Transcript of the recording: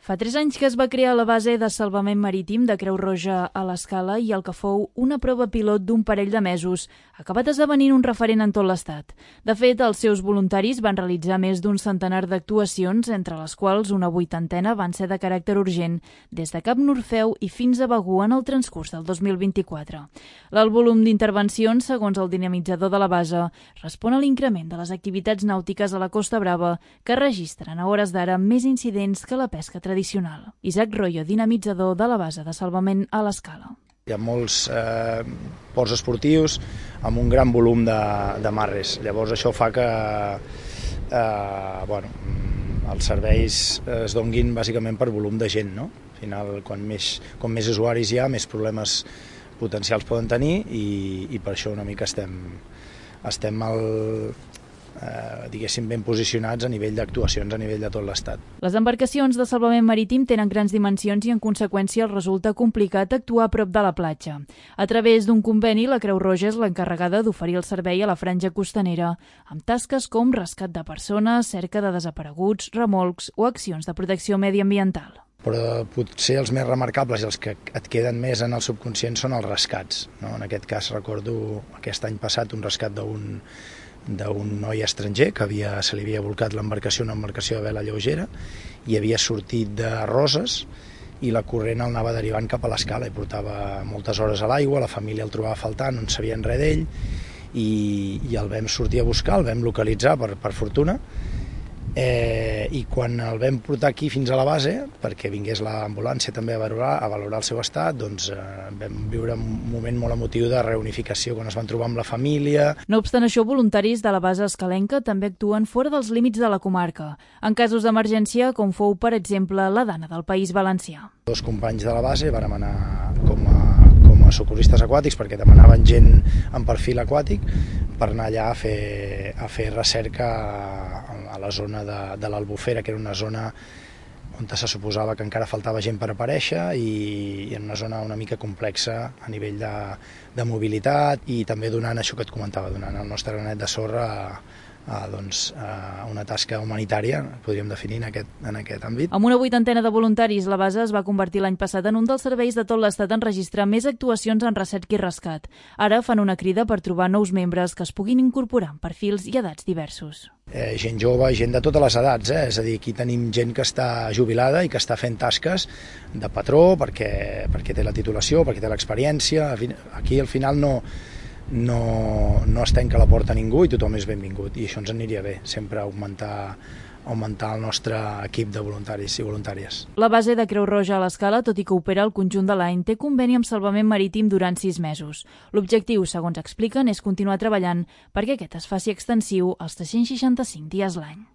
Fa 3 anys que es va crear la base de salvament marítim de Creu Roja a l'Escala i el que fou una prova pilot d'un parell de mesos ha acabat esdevenint un referent en tot l'Estat. De fet, els seus voluntaris van realitzar més d'un centenar d'actuacions, entre les quals una 80ena van ser de caràcter urgent, des de Cap Norfeu i fins a Begur en el transcurs del 2024. L'alt volum d'intervencions, segons el dinamitzador de la base, respon a l'increment de les activitats nàutiques a la Costa Brava, que registren a hores d'ara més incidents que la pesca tradicional. Isaac Royo, dinamitzador de la base de salvament a l'Escala. Hi ha molts ports esportius amb un gran volum de marres. Llavors això fa que els serveis es donguin bàsicament per volum de gent, no? Al final, com més usuaris hi ha, més problemes potencials poden tenir i per això una mica estem diguéssim ben posicionats a nivell d'actuacions a nivell de tot l'Estat. Les embarcacions de salvament marítim tenen grans dimensions i en conseqüència resulta complicat actuar a prop de la platja. A través d'un conveni, la Creu Roja és l'encarregada d'oferir el servei a la franja costanera, amb tasques com rescat de persones, cerca de desapareguts, remolcs o accions de protecció mediambiental. Però potser els més remarcables i els que et queden més en el subconscient són els rescats, no? En aquest cas recordo aquest any passat un rescat d'un noi estranger que se li havia volcat l'embarcació, una embarcació de vela lleugera, i havia sortit de Roses i la corrent el anava derivant cap a l'Escala i portava moltes hores a l'aigua, la família el trobava faltant, no en sabien res d'ell i el vam sortir a buscar, el vam localitzar per fortuna, i quan el vam portar aquí fins a la base, perquè vingués l'ambulància també a valorar el seu estat, doncs vam viure un moment molt emotiu de reunificació quan es van trobar amb la família. No obstant això, voluntaris de la base escalenca també actuen fora dels límits de la comarca, en casos d'emergència com fou, per exemple, la Dana del País Valencià. 2 companys de la base vàrem anar com a socorristes aquàtics perquè demanaven gent en perfil aquàtic per anar allà a fer recerca a la zona de l'Albufera, que era una zona on se suposava que encara faltava gent per aparèixer i en una zona una mica complexa a nivell de mobilitat i també donant això que et comentava, donant el nostre granet de sorra a una tasca humanitària, podríem definir en aquest àmbit. Amb una 80ena de voluntaris, la base es va convertir l'any passat en un dels serveis de tot l'Estat en registrar més actuacions en recerca i rescat. Ara fan una crida per trobar nous membres que es puguin incorporar en perfils i edats diversos. Gent jove, gent de totes les edats, és a dir, aquí tenim gent que està jubilada i que està fent tasques de patró perquè té la titulació, perquè té l'experiència. Aquí al final no es tanca la porta a ningú i tothom és benvingut i això ens aniria bé, sempre augmentar el nostre equip de voluntaris i voluntàries. La base de Creu Roja a l'Escala, tot i que opera el conjunt de l'any, té conveni amb salvament marítim durant 6 mesos. L'objectiu, segons expliquen, és continuar treballant perquè aquest es faci extensiu als 365 dies l'any.